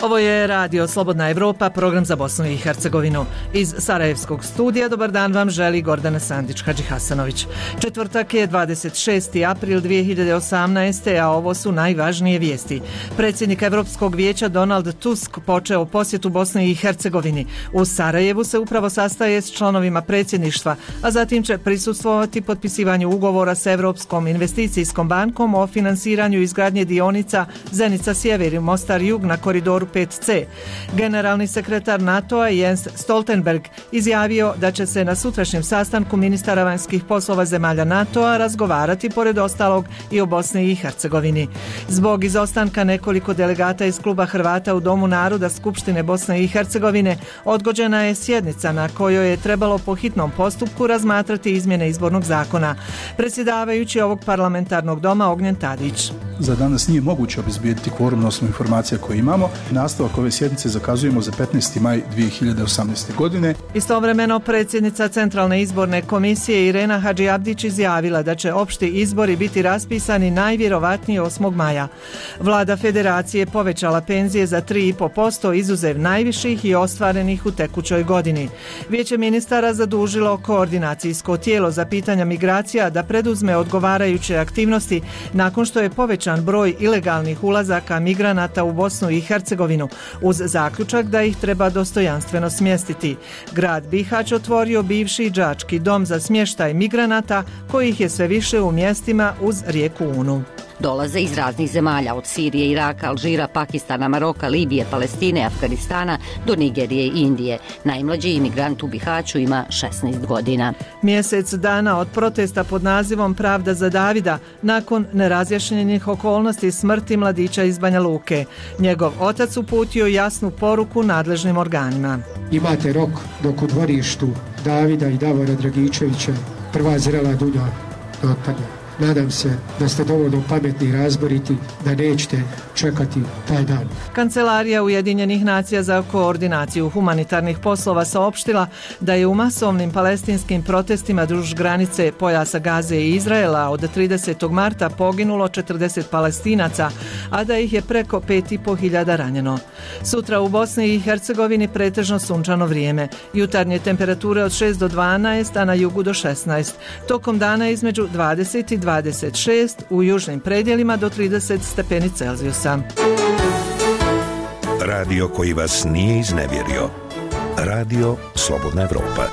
Ovo je Radio Slobodna Evropa, program za Bosnu i Hercegovinu. Iz Sarajevskog studija dobar dan vam želi Gordana Sandić-Hadžihasanović. Četvrtak je 26. april 2018. a ovo su najvažnije vijesti. Predsjednik Evropskog vijeća Donald Tusk počeo posjetu Bosni i Hercegovini. U Sarajevu se upravo sastaje s članovima predsjedništva, a zatim će prisustvovati potpisivanju ugovora s Evropskom investicijskom bankom o finansiranju izgradnje dionica Zenica Sjever i Mostar Jug na koridoru 5C. Generalni sekretar NATO-a Jens Stoltenberg izjavio da će se na sutrašnjem sastanku ministara vanjskih poslova zemalja NATO-a razgovarati pored ostalog i o Bosni i Hercegovini. Zbog izostanka nekoliko delegata iz kluba Hrvata u Domu naroda Skupštine Bosne i Hercegovine odgođena je sjednica na kojoj je trebalo po hitnom postupku razmatrati izmjene izbornog zakona. Predsjedavajući ovog parlamentarnog doma Ognjen Tadić. Za danas nije moguće obezbijediti kvorum na osnovu informacija koje imamo. Nastavak ove sjednice zakazujemo za 15. maj 2018. godine. Istovremeno predsjednica Centralne izborne komisije Irena Hadžiabdić izjavila da će opšti izbori biti raspisani najvjerovatnije 8. maja. Vlada federacije povećala penzije za 3,5% izuzev najviših i ostvarenih u tekućoj godini. Vijeće ministara zadužilo koordinacijsko tijelo za pitanja migracija da preduzme odgovarajuće aktivnosti nakon što je povećan broj ilegalnih ulazaka migranata u Bosnu i Hercegovinu uz zaključak da ih treba dostojanstveno smjestiti. Grad Bihać otvorio bivši đački dom za smještaj migranata kojih je sve više u mjestima uz rijeku Unu. Dolaze iz raznih zemalja, od Sirije, Iraka, Alžira, Pakistana, Maroka, Libije, Palestine, Afganistana do Nigerije i Indije. Najmlađi imigrant u Bihaću ima 16 godina. Mjesec dana od protesta pod nazivom Pravda za Davida, nakon nerazjašnjenih okolnosti smrti mladića iz Banja Luke. Njegov otac uputio jasnu poruku nadležnim organima. Imate rok dok u dvorištu Davida i Davora Dragičevića prva zrela dulja ne otpadne. Nadam se da ste dovoljno pametni i razboriti da nećete čekati taj dan. Kancelarija Ujedinjenih nacija za koordinaciju humanitarnih poslova saopštila da je u masovnim palestinskim protestima duž granice pojasa Gaze i Izraela od 30. marta poginulo 40 Palestinaca, a da ih je preko 5.500 ranjeno. Sutra u Bosni i Hercegovini pretežno sunčano vrijeme. Jutarnje temperature od 6 do 12, a na jugu do 16. Tokom dana između 20 i 26, u južnim predjelima do 30 stepeni Celzijusa. Radio koji vas nije iznevjerio. Radio Slobodna Evropa.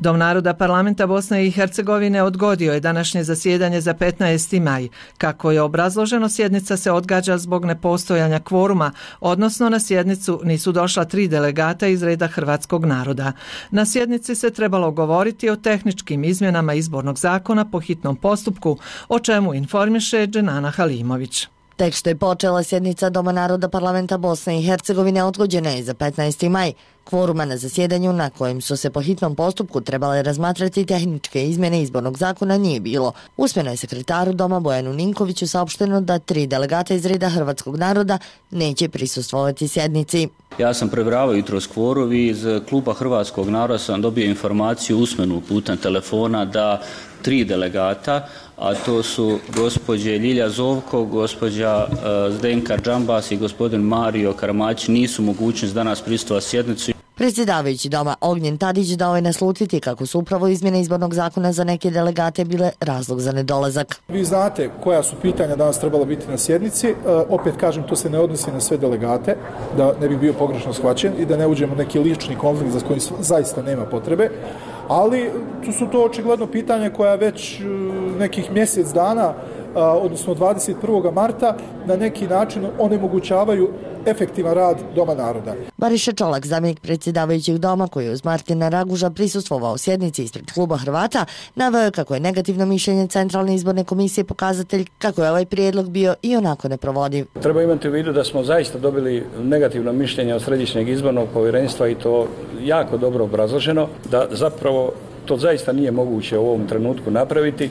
Dom naroda parlamenta Bosne i Hercegovine odgodio je današnje zasjedanje za 15. maj. Kako je obrazloženo, sjednica se odgađa zbog nepostojanja kvoruma, odnosno na sjednicu nisu došla 3 delegata iz reda hrvatskog naroda. Na sjednici se trebalo govoriti o tehničkim izmjenama izbornog zakona po hitnom postupku, o čemu informiše Dženana Halimović. Tek što je počela sjednica Doma naroda parlamenta Bosne i Hercegovine odgođena je za 15. maj. Kvoruma na zasjedanju na kojem su se po hitnom postupku trebale razmatrati tehničke izmjene izbornog zakona nije bilo. Usmeno je sekretaru Doma Bojanu Ninkoviću saopšteno da 3 delegata iz reda hrvatskog naroda neće prisustvovati sjednici. Ja sam prebravao jutros kvorum i iz kluba hrvatskog naroda sam dobio informaciju usmenu putem telefona da 3 delegata, a to su gospođe Ljilja Zovko, gospođa Zdenka Džambas i gospodin Mario Karamać nisu mogućnost danas prisustvovati sjednicu. Predsjedavajući doma Ognjen Tadić dao je naslutiti kako su upravo izmjene izbornog zakona za neke delegate bile razlog za nedolazak. Vi znate koja su pitanja danas trebalo biti na sjednici. Opet kažem, to se ne odnosi na sve delegate, da ne bi bio pogrešno shvaćen i da ne uđemo u neki lični konflikt za koji zaista nema potrebe. Ali tu su to očigledno pitanja koja već nekih mjesec dana, odnosno 21. marta, na neki način onemogućavaju efektivan rad Doma naroda. Bariša Čolak, zamjenik predsjedavajućeg doma, koji je uz Martina Raguža prisustvovao sjednici ispred kluba Hrvata, naveo kako je negativno mišljenje Centralne izborne komisije pokazatelj kako je ovaj prijedlog bio i onako neprovodiv. Treba imati u vidu da smo zaista dobili negativno mišljenje od Središnjeg izbornog povjerenstva i to jako dobro obrazloženo, da zapravo to zaista nije moguće u ovom trenutku napraviti.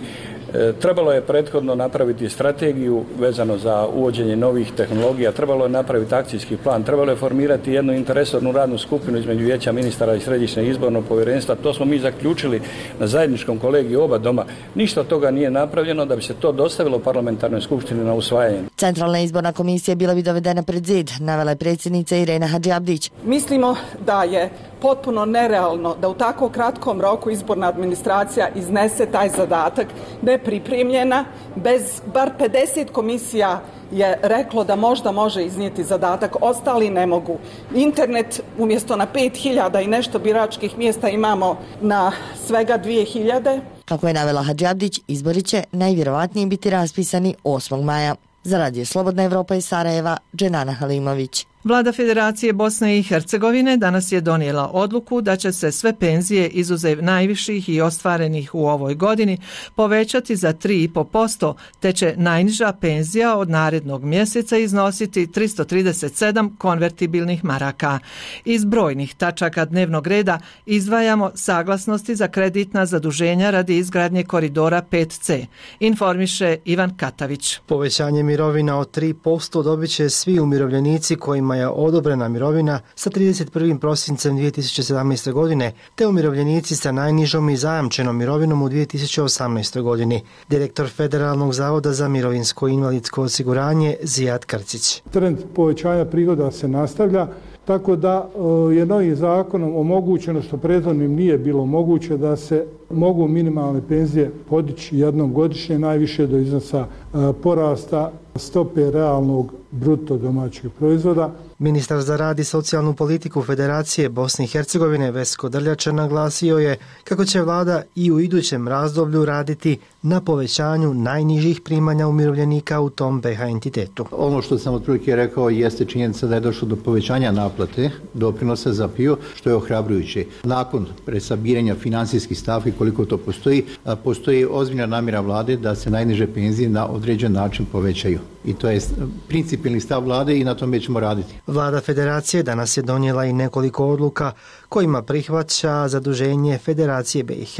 Trebalo je prethodno napraviti strategiju vezano za uvođenje novih tehnologija, trebalo je napraviti akcijski plan, trebalo je formirati jednu interesornu radnu skupinu između Vijeća ministara i Središnjeg izbornog povjerenstva. To smo mi zaključili na zajedničkom kolegiju oba doma. Ništa od toga nije napravljeno da bi se to dostavilo parlamentarnoj skupštini na usvajanje. Centralna izborna komisija bila bi dovedena pred zid, navela je predsjednica Irena Hadžiabdić. Mislimo da je potpuno nerealno da u tako kratkom roku izborna administracija iznese taj zadatak nepripremljena, bez bar 50 komisija je reklo da možda može iznijeti zadatak, ostali ne mogu. Internet umjesto na 5000 i nešto biračkih mjesta imamo na svega 2000. Kako je navela Hadžiabdić, izbori će najvjerovatnije biti raspisani 8. maja. Za Radio Slobodna Evropa iz Sarajeva, Dženana Halimović. Vlada Federacije Bosne i Hercegovine danas je donijela odluku da će se sve penzije izuzev najviših i ostvarenih u ovoj godini povećati za 3,5%, te će najniža penzija od narednog mjeseca iznositi 337 konvertibilnih maraka. Iz brojnih tačaka dnevnog reda izdvajamo saglasnosti za kreditna zaduženja radi izgradnje koridora 5C, informiše Ivan Katavić. Povećanje mirovina od 3% dobit će svi umirovljenici kojima je odobrena mirovina sa 31. prosincem 2017. godine, te umirovljenici sa najnižom i zajamčenom mirovinom u 2018. godini. Direktor Federalnog zavoda za mirovinsko i invalidsko osiguranje Zijad Krcić. Trend povećanja prihoda se nastavlja, tako da je novim zakonom omogućeno, što prethodnim nije bilo moguće, da se mogu minimalne penzije podići jednom godišnje, najviše do iznosa porasta stope realnog bruto domaćeg proizvoda. Ministar za rad i socijalnu politiku Federacije Bosne i Hercegovine Vesko Drljača naglasio je kako će vlada i u idućem razdoblju raditi na povećanju najnižih primanja umirovljenika u tom BiH entitetu. Ono što sam otprilike rekao jeste činjenica da je došlo do povećanja naplate doprinosa za PIO, što je ohrabrujuće. Nakon presabiranja financijskih stavki, koliko to postoji ozbiljna namjera vlade da se najniže penzije na određen način povećaju. I to je principijelni stav vlade i na tome ćemo raditi. Vlada Federacije danas je donijela i nekoliko odluka kojima prihvaća zaduženje Federacije BiH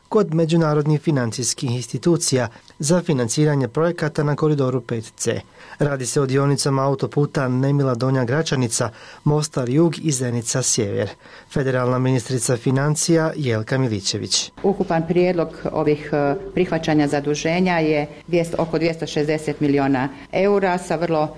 kod međunarodnih financijskih institucija za financiranje projekata na koridoru 5C. Radi se o dionicama autoputa Nemila Donja Gračanica, Mostar Jug i Zenica Sjever. Federalna ministrica financija Jelka Milićević. Ukupan prijedlog ovih prihvaćanja zaduženja je oko 260 milijuna eura sa vrlo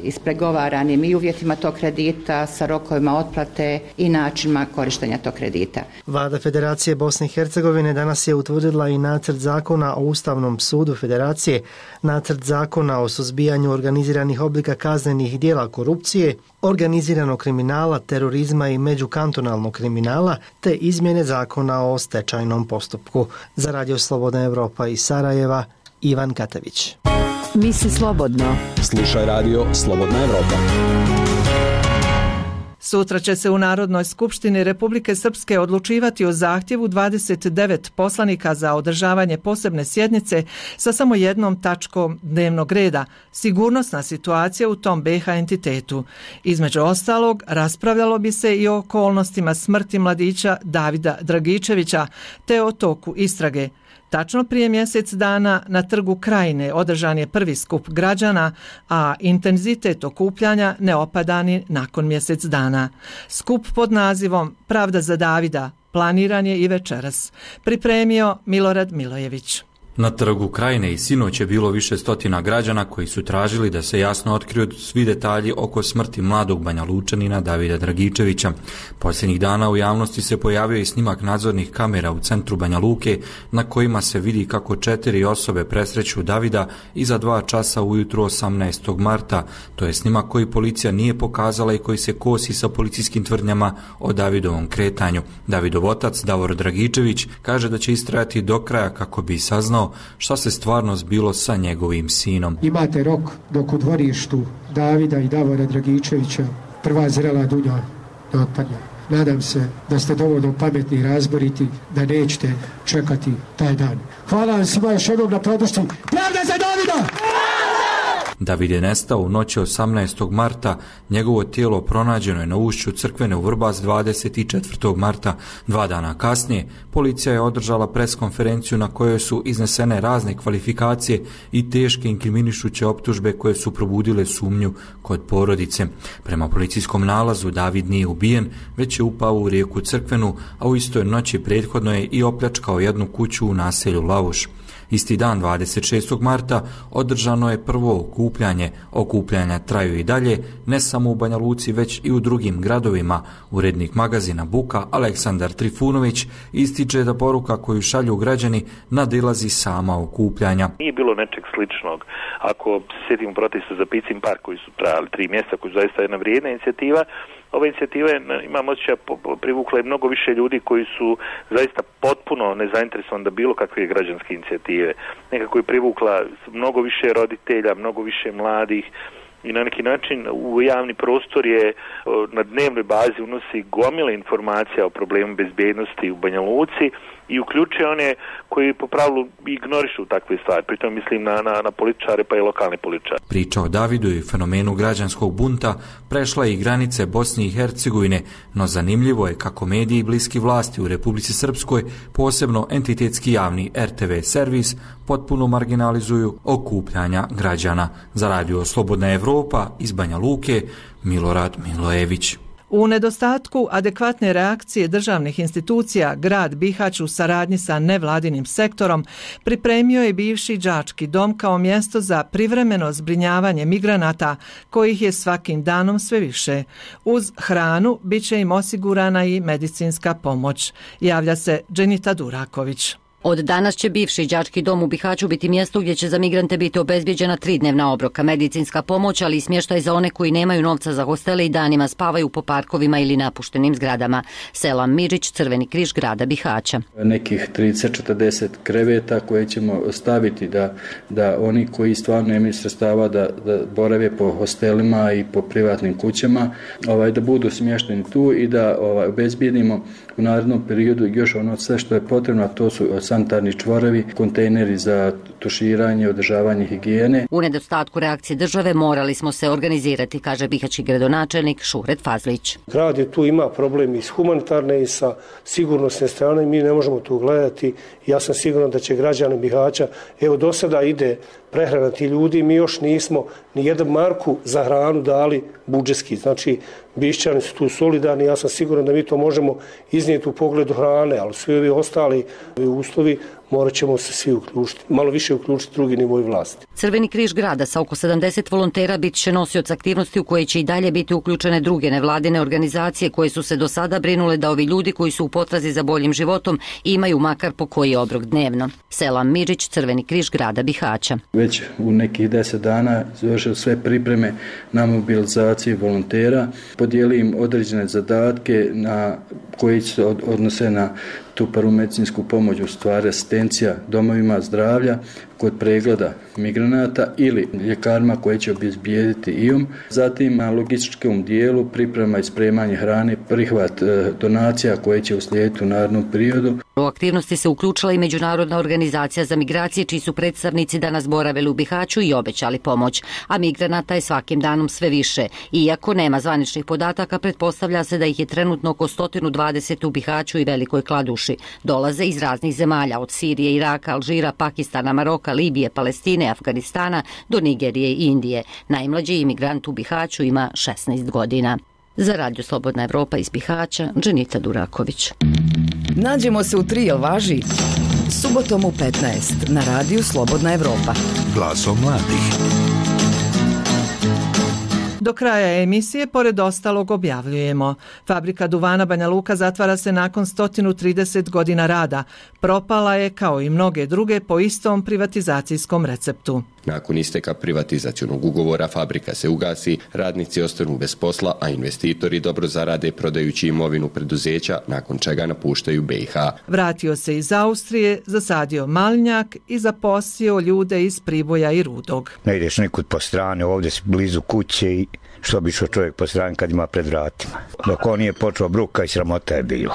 ispregovaranim i uvjetima tog kredita, sa rokovima otplate i načinima korištenja tog kredita. Vlada Federacije Bosne i Hercegovine danas je utvrdila i nacrt zakona o Ustavnom sudu Federacije, nacrt zakona o suzbijanju organiziranih oblika kaznenih djela korupcije, organiziranog kriminala, terorizma i međukantonalnog kriminala, te izmjene zakona o stečajnom postupku. Za Radio Slobodna Evropa iz Sarajeva, Ivan Katavić. Misli slobodno. Slušaj Radio Slobodna Evropa. Sutra će se u Narodnoj skupštini Republike Srpske odlučivati o zahtjevu 29 poslanika za održavanje posebne sjednice sa samo jednom tačkom dnevnog reda, sigurnosna situacija u tom BiH entitetu. Između ostalog, raspravljalo bi se i o okolnostima smrti mladića Davida Dragičevića, te o toku istrage. Tačno prije mjesec dana na Trgu Krajine održan je prvi skup građana, a intenzitet okupljanja ne opada ni nakon mjesec dana. Skup pod nazivom Pravda za Davida planiran je i večeras. Pripremio Milorad Milojević. Na Trgu Krajine i sinoć je bilo više stotina građana koji su tražili da se jasno otkriju svi detalji oko smrti mladog Banja Lučanina Davida Dragičevića. Posljednjih dana u javnosti se pojavio i snimak nadzornih kamera u centru Banja Luke na kojima se vidi kako 4 osobe presreću Davida iza 2 časa ujutro 18. marta. To je snimak koji policija nije pokazala i koji se kosi sa policijskim tvrdnjama o Davidovom kretanju. Davidov otac Davor Dragičević kaže da će istrajati do kraja kako bi saznao šta se stvarno zbilo sa njegovim sinom. Imate rok dok u dvorištu Davida i Davora Dragičevića prva zrela dunja ne otpadne. Nadam se da ste dovoljno pametni i razboriti da nećete čekati taj dan. Hvala vam svima još jednom na podršci. Pravda za Davida! David je nestao u noći 18. marta, njegovo tijelo pronađeno je na ušću Crkvene u Vrbas 24. marta. 2 dana kasnije, policija je održala preskonferenciju na kojoj su iznesene razne kvalifikacije i teške inkriminišuće optužbe koje su probudile sumnju kod porodice. Prema policijskom nalazu David nije ubijen, već je upao u rijeku Crkvenu, a u istoj noći prethodno je i opljačkao jednu kuću u naselju Lavuš. Isti dan 26. marta održano je prvo okupljanje. Okupljanja traju i dalje, ne samo u Banja Luci, već i u drugim gradovima. Urednik magazina Buka Aleksandar Trifunović ističe da poruka koju šalju građani nadilazi sama okupljanja. Nije bilo nečeg sličnog. Ako se sjetimo protesta za Picin park koji su trajali 3 mjeseca, koji su zaista jedna vrijedna inicijativa, ova inicijativa je, imam osjećaj, privukla je mnogo više ljudi koji su zaista potpuno nezainteresovani da bilo kakve građanske inicijative. Nekako je privukla mnogo više roditelja, mnogo više mladih i na neki način u javni prostor je na dnevnoj bazi unosi gomile informacija o problemu bezbjednosti u Banja Luci i uključuje one koji po pravilu ignorišu takve stvari. Pritom mislim na političare pa i lokalne političare. Priča o Davidu i fenomenu građanskog bunta prešla i granice Bosne i Hercegovine, no zanimljivo je kako mediji bliski vlasti u Republici Srpskoj, posebno entitetski javni RTV servis, potpuno marginalizuju okupljanja građana. Za radio Slobodna Evropa iz Banja Luke, Milorad Milojević. U nedostatku adekvatne reakcije državnih institucija, grad Bihać u saradnji sa nevladinim sektorom pripremio je bivši đački dom kao mjesto za privremeno zbrinjavanje migranata, kojih je svakim danom sve više. Uz hranu bit će im osigurana i medicinska pomoć, javlja se Dženita Duraković. Od danas će bivši đački dom u Bihaću biti mjesto gdje će za migrante biti obezbijeđena 3-dnevna obroka, medicinska pomoć, ali i smještaj za one koji nemaju novca za hostele i danima spavaju po parkovima ili napuštenim zgradama. Selam Midžić, Crveni križ grada Bihaća. Nekih 30-40 kreveta koje ćemo staviti da oni koji stvarno nemaju sredstava da borave po hostelima i po privatnim kućama, da budu smješteni tu i da obezbijedimo u narednom periodu još ono sve što je potrebno, a to su sanitarni čvorovi, kontejneri za tuširanje, održavanje higijene. U nedostatku reakcije države morali smo se organizirati, kaže bihaćki gradonačelnik Šuret Fazlić. Grad je tu ima problem i s humanitarne i sa sigurnosne strane, mi ne možemo tu gledati. Ja sam siguran da će građani Bihaća, do sada ide prehrana ti ljudi, mi još nismo ni jedan marku za hranu dali budžetski. Znači, Bišćani su tu solidarni, ja sam siguran da mi to možemo iznijeti u pogledu hrane, ali svi ovi ostali uslovi morat ćemo se svi uključiti, malo više uključiti drugi nivoj vlasti. Crveni križ grada sa oko 70 volontera bit će nosioc aktivnosti u koje će i dalje biti uključene druge nevladine organizacije koje su se do sada brinule da ovi ljudi koji su u potrazi za boljim životom imaju makar po koji obrok dnevno. Selam Midžić, Crveni križ grada Bihaća. Već u nekih 10 dana završili sve pripreme na mobilizaciju volontera, podijeli im određene zadatke koji se odnose na tu prvu medicinsku pomoć, u stvari asistencija domovima zdravlja kod pregleda migranata ili ljekarima koje će obezbijediti IOM. Zatim na logističkom dijelu priprema i spremanje hrane, prihvat donacija koje će uslijediti u narednom periodu. U aktivnosti se uključila i Međunarodna organizacija za migracije, čiji su predstavnici danas boravili u Bihaću i obećali pomoć, a migranata je svakim danom sve više. Iako nema zvaničnih podataka, pretpostavlja se da ih je trenutno oko 120 u Bihaću i Velikoj Kladuši. Dolaze iz raznih zemalja, od Sirije, Iraka, Alžira, Pakistana, Maroka, Libije, Palestine, Afganistana do Nigerije i Indije. Najmlađi imigrant u Bihaću ima 16 godina. Za radio Slobodna Evropa iz Bihaća, Dženita Duraković. Nađemo se u Trio važi subotom u 15 na radiju Slobodna Evropa. Glasom mladih. Do kraja emisije, pored ostalog, objavljujemo. Fabrika duvana Banja Luka zatvara se nakon 130 godina rada. Propala je, kao i mnoge druge, po istom privatizacijskom receptu. Nakon isteka privatizacionog ugovora fabrika se ugasi, radnici ostanu bez posla, a investitori dobro zarade prodajući imovinu preduzeća, nakon čega napuštaju BiH. Vratio se iz Austrije, zasadio malinjak i zaposlio ljude iz Priboja i Rudog. Ne ideš nekud po strane, ovdje si blizu kuće i što bi šao čovjek po strani kad ima pred vratima. Dok on nije počeo, bruka i sramota je bila.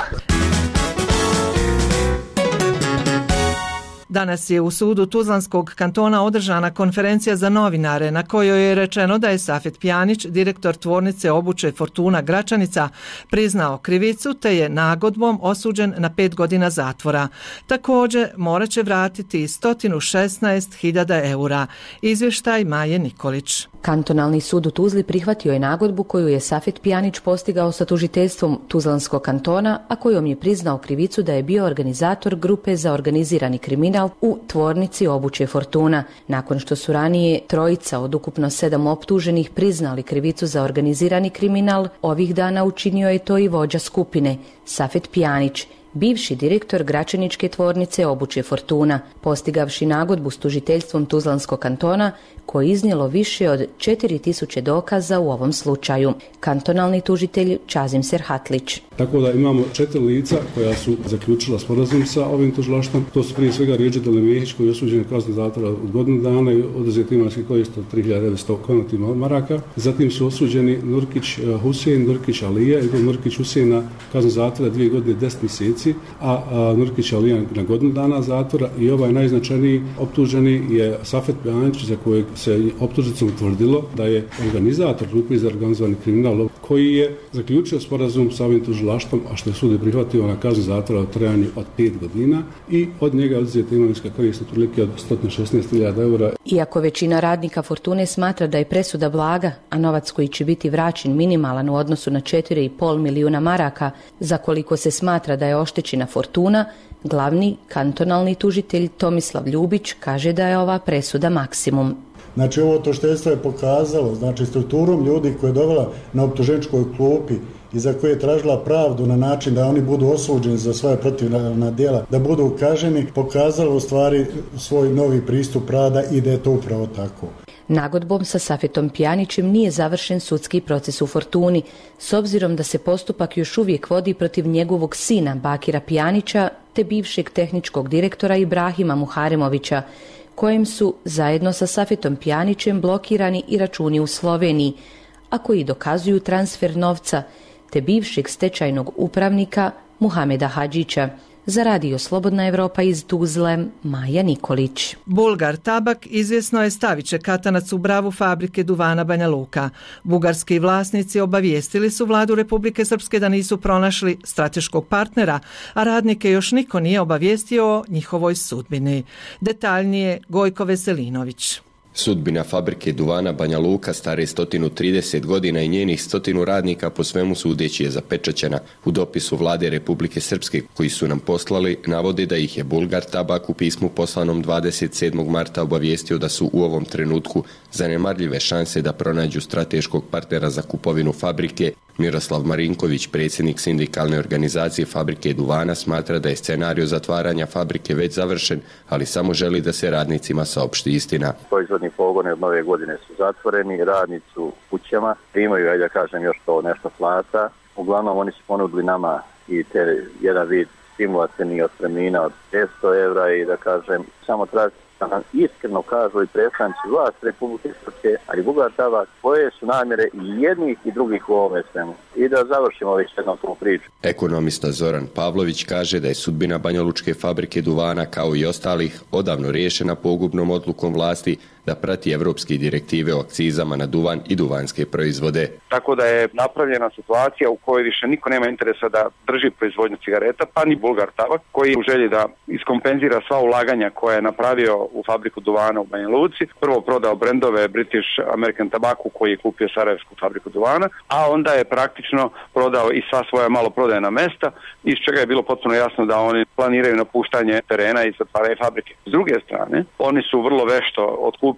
Danas je u sudu Tuzlanskog kantona održana konferencija za novinare na kojoj je rečeno da je Safet Pjanić, direktor tvornice obuće Fortuna Gračanica, priznao krivicu te je nagodbom osuđen na 5 godina zatvora. Također morat će vratiti 116.000 eura. Izvještaj Maje Nikolić. Kantonalni sud u Tuzli prihvatio je nagodbu koju je Safet Pjanić postigao sa tužiteljstvom Tuzlanskog kantona, a kojom je priznao krivicu da je bio organizator grupe za organizirani kriminal kriminal u tvornici obuće Fortuna. Nakon što su ranije trojica od ukupno 7 optuženih priznali krivicu za organizirani kriminal, ovih dana učinio je to i vođa skupine, Safet Pjanić, bivši direktor Gračaničke tvornice obuće Fortuna, postigavši nagodbu s tužiteljstvom Tuzlanskog kantona, koje je iznijelo više od 4000 dokaza u ovom slučaju. Kantonalni tužitelj Čazim Serhatlić. Tako da imamo 4 lica koja su zaključila sporazum sa ovim tužilaštvom. To su prije svega Rijeđe Delemehić koji je osuđen kaznu zatvora od godinu dana i oduzet imovinski korist od 3900 konvertibilnih maraka. Zatim su osuđeni Nurkić Husein, Nurkić Alija i Nurkić Husein na kaznu zatvora 2 godine 10 mjeseci, a Nurkić Alija na godinu dana zatvora i ovaj najznačajniji optuženi je Safet Pjanić, za kojeg se optužnicom utvrdilo da je organizator grupe za organizovani kriminal koji je zaključio sporazum sa ovim tužilaštvom, a što je sud prihvatio na kaznu zatvora u trajanju od 5 godina i od njega oduzeta imovinska korist otprilike od 116.000 eura. Iako većina radnika Fortune smatra da je presuda blaga, a novac koji će biti vraćen minimalan u odnosu na 4,5 milijuna maraka, za koliko se smatra da je oštećena Fortuna, glavni kantonalni tužitelj Tomislav Ljubić kaže da je ova presuda maksimum. Znači ovo tužiteljstvo je pokazalo, znači strukturom ljudi koje je dovela na optuženičkoj klupi i za koje je tražila pravdu na način da oni budu osuđeni za svoje protivna djela, da budu kažnjeni, pokazalo u stvari svoj novi pristup rada i da je to upravo tako. Nagodbom sa Safetom Pjanićem nije završen sudski proces u Fortuni, s obzirom da se postupak još uvijek vodi protiv njegovog sina Bakira Pjanića te bivšeg tehničkog direktora Ibrahima Muharemovića, kojem su zajedno sa Safetom Pjanićem blokirani i računi u Sloveniji, a koji dokazuju transfer novca, te bivšeg stečajnog upravnika Muhameda Hadžića. Za Radio Slobodna Evropa iz Tuzle, Maja Nikolić. Bulgar Tabak izvjesno je stavit će katanac u bravu fabrike duvana Banja Luka. Bugarski vlasnici obavijestili su vladu Republike Srpske da nisu pronašli strateškog partnera, a radnike još niko nije obavijestio o njihovoj sudbini. Detaljnije Gojko Veselinović. Sudbina fabrike duvana Banja Luka stare 130 godina i njenih 100 radnika po svemu sudeći je zapečaćena. U dopisu vlade Republike Srpske koji su nam poslali navode da ih je Bulgar Tabak u pismu poslanom 27. marta obavijestio da su u ovom trenutku zanemarljive šanse da pronađu strateškog partnera za kupovinu fabrike. Miroslav Marinković, predsjednik sindikalne organizacije fabrike duvana, smatra da je scenario zatvaranja fabrike već završen, ali samo želi da se radnicima saopšti istina. Proizvodni pogone od nove godine su zatvoreni, radnici u kućama, imaju, ajde da kažem, još to nešto plata. Uglavnom oni su ponudili nama i jedan vid stimulativnih otpremnina od 500 evra i da kažem, samo traži da nam iskreno kažu i predstavnici vlasti Republike Srpske, ali Bulgar Tabak, koje su namjere i jednih i drugih u ovome svemu. I da završimo već jednom tu priču. Ekonomista Zoran Pavlović kaže da je sudbina banjalučke fabrike duvana kao i ostalih odavno riješena pogubnom odlukom vlasti da prati evropske direktive o akcizama na duvan i duvanske proizvode. Tako da je napravljena situacija u kojoj više niko nema interesa da drži proizvodnju cigareta, pa ni Bulgar Tabak, koji u želji da iskompenzira sva ulaganja koje je napravio u fabriku duvana u Banja Luci. Prvo prodao brendove British American Tobacco koji je kupio Sarajevsku fabriku duvana, a onda je praktično prodao i sva svoja maloprodajna mesta, iz čega je bilo potpuno jasno da oni planiraju napuštanje terena i zatvaranje fabrike. S druge strane, oni su vrlo vešto otkupili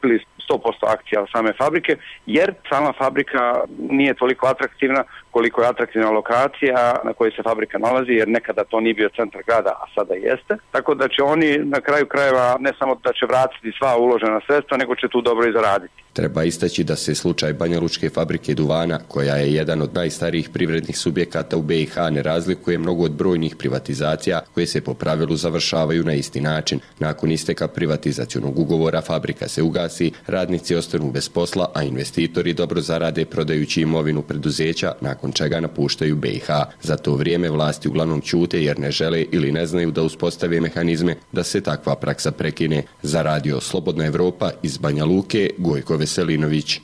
100% akcija same fabrike, jer sama fabrika nije toliko atraktivna koliko je atraktivna lokacija na kojoj se fabrika nalazi, jer nekada to nije bio centar grada, a sada jeste. Tako da će oni na kraju krajeva ne samo da će vratiti sva uložena sredstva, nego će tu dobro i zaraditi. Treba istaći da se slučaj banjalučke fabrike duvana, koja je jedan od najstarijih privrednih subjekata u BiH, ne razlikuje mnogo od brojnih privatizacija koje se po pravilu završavaju na isti način. Nakon isteka privatizacionog ugovora fabrika se ugasi, radnici ostanu bez posla, a investitori dobro zarade prodajući imovinu preduzeća, nakon čega napuštaju BiH. Za to vrijeme vlasti uglavnom ćute jer ne žele ili ne znaju da uspostave mehanizme da se takva praksa prekine. Za Radio Slobodna Evropa iz Banja Luke, Gojko Veselinović.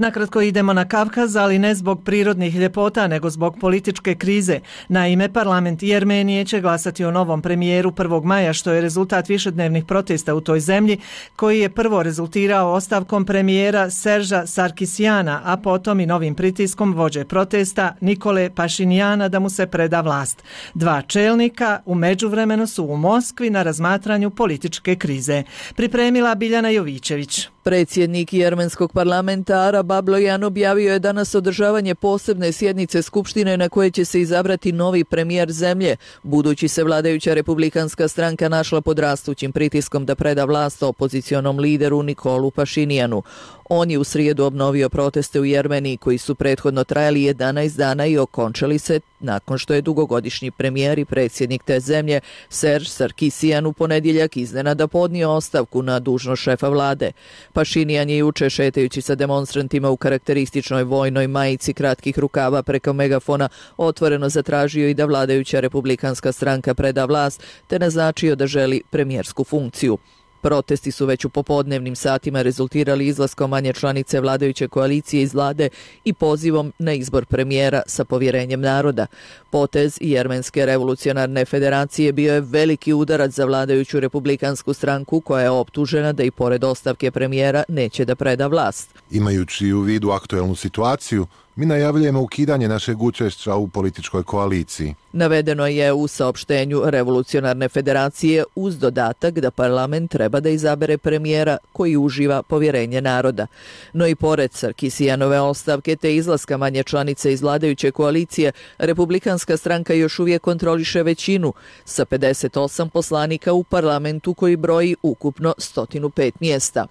Nakratko idemo na Kavkaz, ali ne zbog prirodnih ljepota, nego zbog političke krize. Naime, parlament Jermenije će glasati o novom premijeru 1. maja, što je rezultat višednevnih protesta u toj zemlji, koji je prvo rezultirao ostavkom premijera Serža Sarkisjana, a potom i novim pritiskom vođe protesta Nikole Pašinjana da mu se preda vlast. Dva čelnika u međuvremenu su u Moskvi na razmatranju političke krize. Pripremila Biljana Jovićević. Predsjednik jermenskog parlamenta Arab Ablojan objavio je danas održavanje posebne sjednice Skupštine na koje će se izabrati novi premijer zemlje, budući se vladajuća republikanska stranka našla pod rastućim pritiskom da preda vlast opozicionom lideru Nikolu Pašinjanu. On je u srijedu obnovio proteste u Jermeniji koji su prethodno trajali 11 dana i okončali se nakon što je dugogodišnji premijer i predsjednik te zemlje Serž Sarkisjan u ponedjeljak iznenada podnio ostavku na dužnost šefa vlade. Pašinjan je juče šetajući sa demonstrantima u karakterističnoj vojnoj majici kratkih rukava preko megafona otvoreno zatražio i da vladajuća republikanska stranka preda vlast te naznačio da želi premijersku funkciju. Protesti su već u popodnevnim satima rezultirali izlaskom manje članice vladajuće koalicije iz vlade i pozivom na izbor premijera sa povjerenjem naroda. Potez Jermenske revolucionarne federacije bio je veliki udarac za vladajuću republikansku stranku koja je optužena da i pored ostavke premijera neće da preda vlast. Imajući u vidu aktuelnu situaciju, mi najavljujemo ukidanje našeg učešća u političkoj koaliciji. Navedeno je u saopštenju Revolucionarne federacije uz dodatak da parlament treba da izabere premijera koji uživa povjerenje naroda. No i pored Sarkisijanove ostavke te izlaska manje članice iz vladajuće koalicije, republikanska stranka još uvijek kontroliše većinu sa 58 poslanika u parlamentu koji broji ukupno 105 mjesta.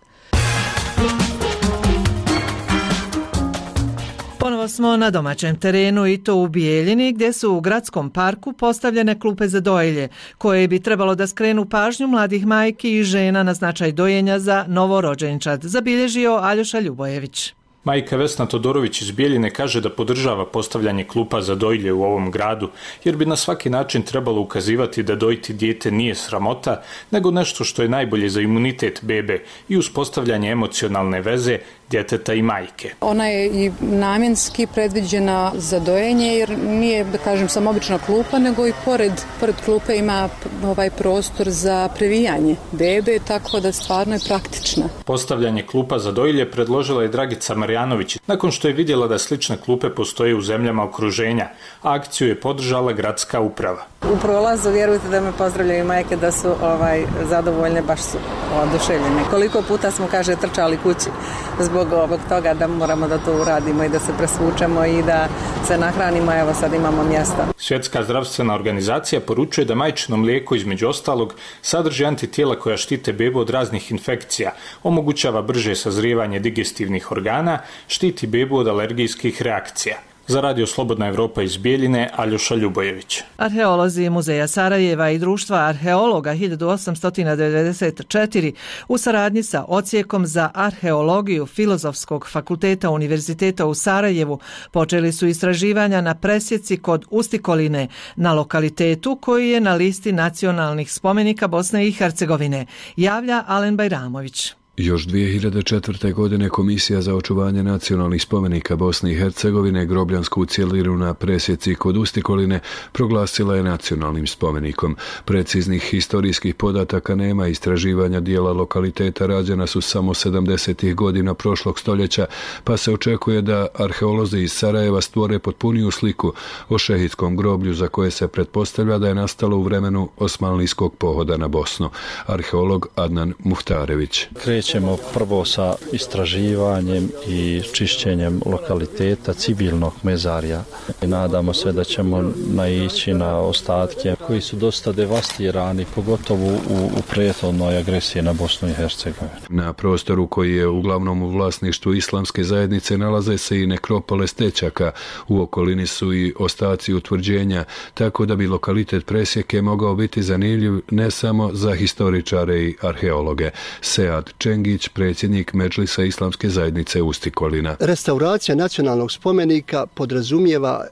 Ponovo smo na domaćem terenu i to u Bijeljini gdje su u gradskom parku postavljene klupe za dojelje koje bi trebalo da skrenu pažnju mladih majki i žena na značaj dojenja za novorođenčad, zabilježio Aljoša Ljubojević. Majka Vesna Todorović iz Bijeljine kaže da podržava postavljanje klupa za dojilje u ovom gradu, jer bi na svaki način trebalo ukazivati da dojiti dijete nije sramota, nego nešto što je najbolje za imunitet bebe i uspostavljanje emocionalne veze djeteta i majke. Ona je i namjenski predviđena za dojenje jer nije, da kažem, samo obična klupa, nego i pored klupe ima ovaj prostor za previjanje bebe, tako da stvarno je praktična. Postavljanje klupa za dojilje predložila je Dragica Marjanović, nakon što je vidjela da slične klupe postoje u zemljama okruženja, a akciju je podržala gradska uprava. U prolazu vjerujte da me pozdravljaju majke da su zadovoljne, baš su oduševljene. Koliko puta smo, kaže, trčali kući zbog ovog toga da moramo da to uradimo i da se presvučemo i da se nahranimo, evo sad imamo mjesta. Svjetska zdravstvena organizacija poručuje da majčino mlijeko između ostalog sadrži antitijela koja štite bebu od raznih infekcija, omogućava brže sazrijevanje digestivnih organa, štiti bebu od alergijskih reakcija. Za Radio Slobodna Evropa iz Bijeljine, Aljoša Ljubojević. Arheolozi Muzeja Sarajeva i Društva arheologa 1894 u saradnji sa Odsjekom za arheologiju Filozofskog fakulteta Univerziteta u Sarajevu počeli su istraživanja na presjeci kod Ustikoline, na lokalitetu koji je na listi nacionalnih spomenika Bosne i Hercegovine, javlja Alen Bajramović. Još 2004. godine Komisija za očuvanje nacionalnih spomenika Bosne i Hercegovine grobljansku cjelinu na presjeci kod Ustikoline proglasila je nacionalnim spomenikom. Preciznih historijskih podataka nema, istraživanja dijela lokaliteta rađena su samo 70. godina prošlog stoljeća, pa se očekuje da arheolozi iz Sarajeva stvore potpuniju sliku o šehidskom groblju za koje se pretpostavlja da je nastalo u vremenu osmanlijskog pohoda na Bosnu. Arheolog Adnan Muhtarević. Krećemo prvo sa istraživanjem i čišćenjem lokaliteta civilnog mezarja. Nadamo se da ćemo naići na ostatke koji su dosta devastirani, pogotovo u prethodnoj agresiji na Bosnu i Hercegovinu. Na prostoru koji je uglavnom u vlasništvu islamske zajednice nalaze se i nekropole stećaka. U okolini su i ostaci utvrđenja, tako da bi lokalitet presjeke mogao biti zanimljiv ne samo za historičare i arheologe. Sead Čengić, predsjednik Medžlisa islamske zajednice Ustikolina. Restauracija nacionalnog spomenika podrazumijeva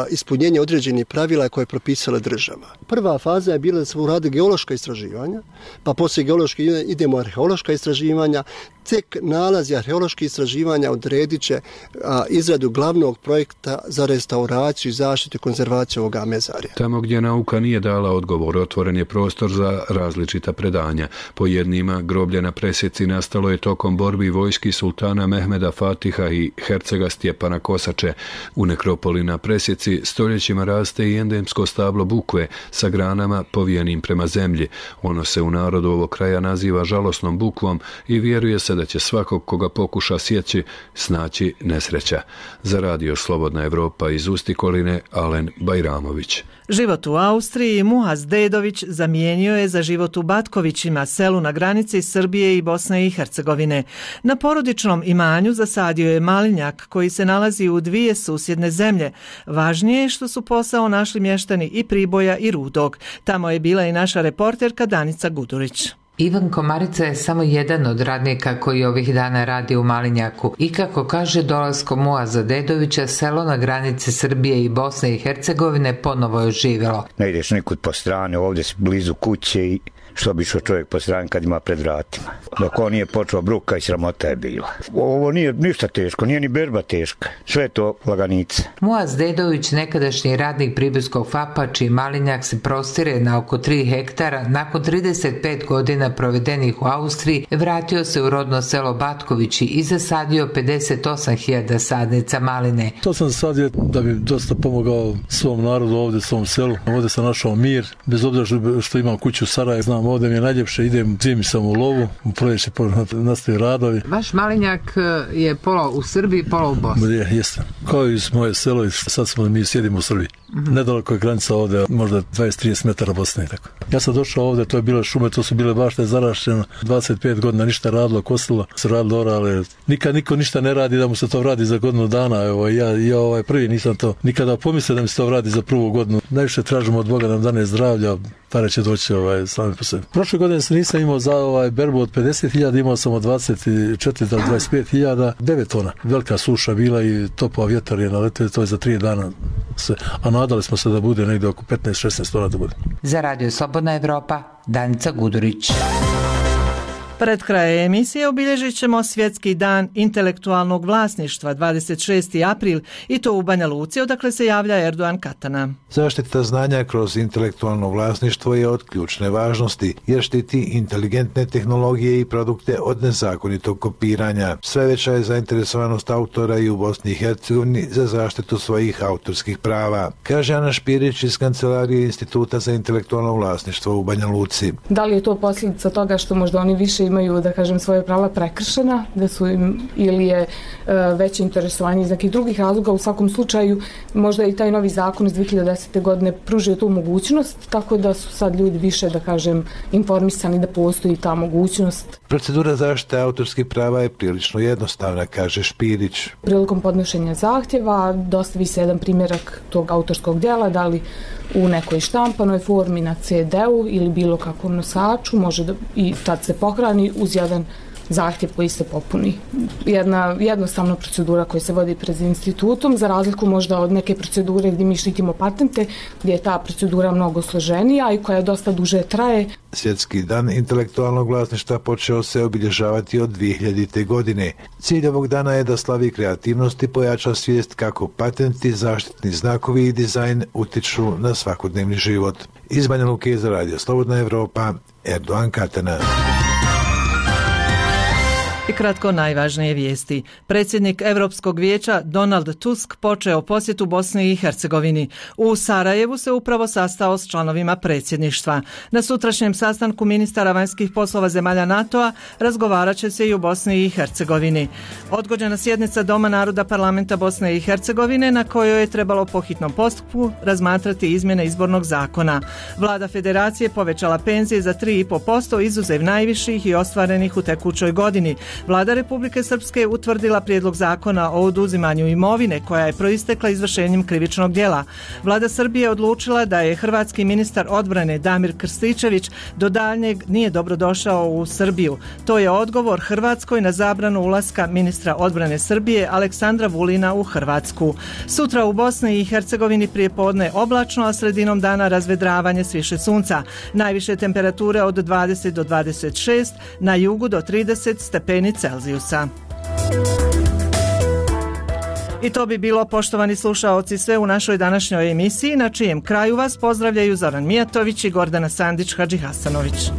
ispunjenje određenih pravila koje je propisala država. Prva faza je bila da se urade geološka istraživanja, pa poslije geološke idemo arheološka istraživanja, Tek nalazi arheoloških istraživanja odredit će izradu glavnog projekta za restauraciju, zaštitu i konzervaciju ovoga mezarja. Tamo gdje nauka nije dala odgovor, otvoren je prostor za različita predanja. Po jednima, groblje na presjeci nastalo je tokom borbi vojski sultana Mehmeda Fatiha i hercega Stjepana Kosače. U nekropoli na presjeci stoljećima raste i endemsko stablo bukve sa granama povijenim prema zemlji. Ono se u narodu ovog kraja naziva žalosnom bukvom i vjeruje se da će svakog koga pokuša sjeći snaći nesreća. Za radio Slobodna Evropa iz Ustikoline, Alen Bajramović. Život u Austriji Muaz Dedović zamijenio je za život u Batkovićima, selu na granici Srbije i Bosne i Hercegovine. Na porodičnom imanju zasadio je malinjak koji se nalazi u dvije susjedne zemlje. Važnije je što su posao našli mještani i Priboja i Rudog. Tamo je bila i naša reporterka Danica Gudurić. Ivan Komarica je samo jedan od radnika koji ovih dana radi u Malinjaku i kako kaže, dolaskom Muaza Dedovića selo na granici Srbije i Bosne i Hercegovine ponovo je oživjelo. Ne ideš nikud po strane, ovdje si blizu kuće i što bi šao čovjek po strani kad ima pred vratima. Dok on nije počeo, bruka i sramota je bila. Ovo nije ništa teško, nije ni berba teška, sve to laganica. Muaz Dedović, nekadašnji radnik Pribojskog FAP-a, čiji Malinjak se prostire na oko 3 hektara, nakon 35 godina provedenih u Austriji, vratio se u rodno selo Batkovići i zasadio 58.000 sadnica maline. To sam zasadio da bi dosta pomogao svom narodu ovdje, svom selu. Ovdje sam našao mir, bez obzira što imam kuću u Sarajevu. Znam, ovdje mi je najljepše, idem zimi sam u lovu, u proljeće nastaju radovi. Vaš Malinjak je pola u Srbiji, pola u Bosni. Jeste, kao i moje selo, i sad mi sjedimo u Srbiji. Nedaleko je granica ovdje, možda 20-30 metara Bosne i tako. Ja sam došao ovdje, to je bile šume, to su bile bašte zarašćene, 25 godina ništa radilo, kosilo, se radilo orale. Nikad niko ništa ne radi da mu se to vradi za godinu dana. Evo, ja prvi nisam to nikada pomislio da mi se to vradi za prvu godinu. Najviše tražimo od Boga da nam dane zdravlja, pare će doći sami po sebi. Prošle godine se nisam imao za berbu od 50.000, imao sam od 24 do 25.000, 9 tona. Velika suša bila i topao vjetar je naletio, to je za 3 dana se, a nadali smo se da bude negdje oko 15-16 tona da bude. Za radio Slobodna Evropa, Danica Gudurić. Pred krajem emisije obilježit ćemo Svjetski dan intelektualnog vlasništva 26. april i to u Banja Luci, odakle se javlja Erdogan Katana. Zaštita znanja kroz intelektualno vlasništvo je od ključne važnosti jer štiti inteligentne tehnologije i produkte od nezakonitog kopiranja. Sve veća je zainteresovanost autora i u Bosni i Hercegovini za zaštitu svojih autorskih prava, kaže Ana Špirić iz Kancelarije Instituta za intelektualno vlasništvo u Banja Luci. Da li je to posljedica toga što možda oni više imaju, da kažem, svoje prava prekršena, da su im, ili je veće interesovanje iz nekih drugih razloga? U svakom slučaju, možda i taj novi zakon iz 2010. godine pružio tu mogućnost, tako da su sad ljudi više, da kažem, informisani da postoji ta mogućnost. Procedura zaštite autorskih prava je prilično jednostavna, kaže Špirić. Prilikom podnošenja zahtjeva dostavi se jedan primjerak tog autorskog djela, da li u nekoj štampanoj formi na CD-u ili bilo kakvom nosaču, može da, i tad se pohrani uz jedan zahtjev koji se popuni. Jedna jednostavna procedura koja se vodi pred institutom, za razliku možda od neke procedure gdje mi štitimo patente, gdje je ta procedura mnogo složenija i koja dosta duže traje. Svjetski dan intelektualnog vlasništva počeo se obilježavati od 2000. godine. Cilj ovog dana je da slavi kreativnost i pojača svijest kako patenti, zaštitni znakovi i dizajn utiču na svakodnevni život. Iz Banja Luke za radio Slobodna Evropa, Erdogan Katana. I kratko najvažnije vijesti. Predsjednik Europskog vijeća Donald Tusk počeo posjetu Bosni i Hercegovini. U Sarajevu se upravo sastao s članovima predsjedništva. Na sutrašnjem sastanku ministara vanjskih poslova zemalja NATO-a razgovarat će se i u Bosni i Hercegovini. Odgođena sjednica Doma naroda parlamenta Bosne i Hercegovine na kojoj je trebalo po hitnom postupku razmatrati izmjene izbornog zakona. Vlada federacije povećala penzije za 3,5% izuzev najviših i ostvarenih u tekućoj godini. Vlada Republike Srpske utvrdila prijedlog zakona o oduzimanju imovine koja je proistekla izvršenjem krivičnog djela. Vlada Srbije odlučila da je hrvatski ministar odbrane Damir Krstičević do daljnjeg nije dobrodošao u Srbiju. To je odgovor Hrvatskoj na zabranu ulaska ministra odbrane Srbije Aleksandra Vulina u Hrvatsku. Sutra u Bosni i Hercegovini prijepodne oblačno, a sredinom dana razvedravanje s više sunca. Najviše temperature od 20 do 26, na jugu do 30 stepeni stepeni Celzijusa. I to bi bilo, poštovani slušaoci, sve u našoj današnjoj emisiji, na čijem kraju vas pozdravljaju Zoran Mijatović i Gordana Sandić Hadžihasanović.